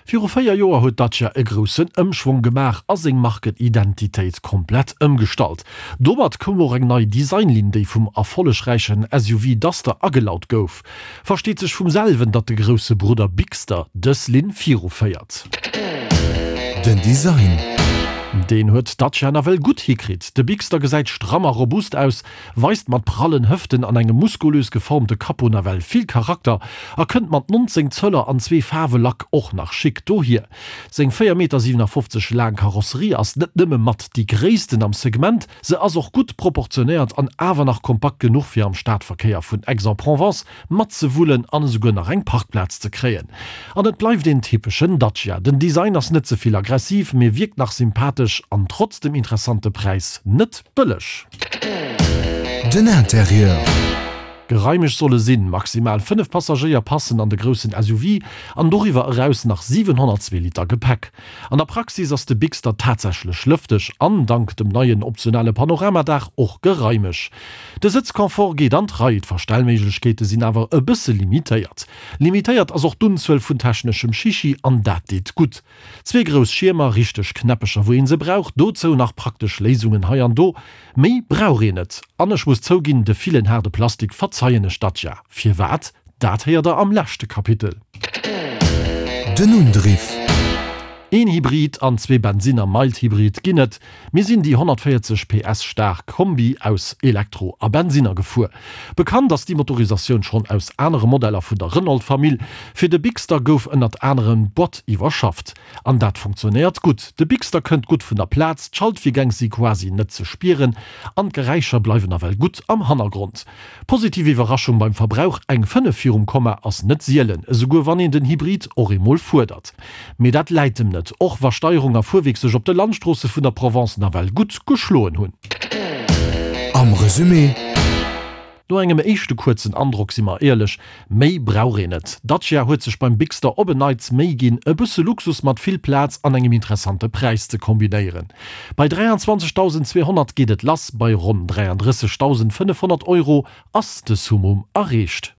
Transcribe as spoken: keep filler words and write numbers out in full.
Viru véier Joer huet Dacia e groussen Ëmschwong gemaach a seng Markenidentitéit komplett ëmgestallt. Domat koum och eng nei Designlinn, déi vum erfollegräichen S U V Duster agelaut gouf. Versteet sech vum selwen, datt de grousse Brudder Bigster dës Linn viruféiert. Den Design. Deen huet Dacia nawell gutt hikritt. De Bigster gesäit stramm a robust aus, weist mat prallen Hëften an engem muskulös geformte Capot nawell vill Charakter a kënnt mat nonzéng Zöller an zwee Faarwe Lack och nach schick dohier. Seng véier Meter siwenafoffzeg laang Karosserie ass net nëmme mat déi gréissten am Segment, se ass och gutt proportionéiert an awer nach kompakt genuch fir am Stadverkéier vun Aix-en-Provence matzewullen an esouguer nach eng Parkplaz ze kréien. An et bleift een typeschen Dacia. Den Design ass net ze vill aggressiv, mee wierkt nach sympathesch an trotz dem interessante Präis net bëlleg. Den Interieur. Geraimeg soll e sinn, maximal fënnef Passagéier passen an de groussen S U V an doriwwer eraus nach siwenhonnertzwee Liter Gepäck. An der Praxis ass de Bigster tatsächlech lëfteg an dank dem neien optionale Panoramadaach och geraimeg. De Sëtzconfort geet an d'Rei, d'Verstellméiglechkeete sinn awer e bësse limitéiert. Limitéiert ass och d'Unzuel vun techneschem Chichi an dat deet gutt. Zwee grouss Schiermer, richteg Knäppecher wou een se brauch, dozou nach praktesch Léisungen hei an do. Méi brauch een net. An ech muss zouginn, de villen haarde Plastik verzeien ech Dacia. Firwat? Dat héiert der am leschte Kapitel. Den Undriff. Een Hybrid an zwee Bensinner Mild Hybrid ginn et. Mir sinn déi honnertvéierzeg P S staark Kombi aus Elektro a Bensinner gefuer. Bekannt ass déi Motorisatioun schonn aus anere Modeller vun der Renault-Famill. Fir de Bigster gouf ënnert anerem d'Boîte iwwerschafft. An dat funktionéiert gutt. De Bigster kënnt gutt vun der Plaz, d'Schaltvirgäng si quasi net ze spieren an d'Geräischer bleiwen nawell gutt am Hannergrond. Positiv Iwwerraschung beim Verbrauch, eng fënnef virum Komma ass net sielen, esouguer wann een den Hybrid och emol fuerdert. Mee dat läit em net, och wa Steierung a Fuerwierk sech op de Landstroosse vun der Provence nawell gutt geschloen hunn. Am Resumé. No engem éischte kuerzen Androck, si mer éierlech, méi brauch een net. Dacia huet sech beim Bigster op en Neits Méi ginn, e bësse Luxus mat vill Plaz an engem interessante Präis ze kombinéieren. Bei dräianzwanzegdausendzweehonnert geet et lass, bei ronn dräiandrëssegdausendfënnefhonnert Euro ass de Summum erreecht.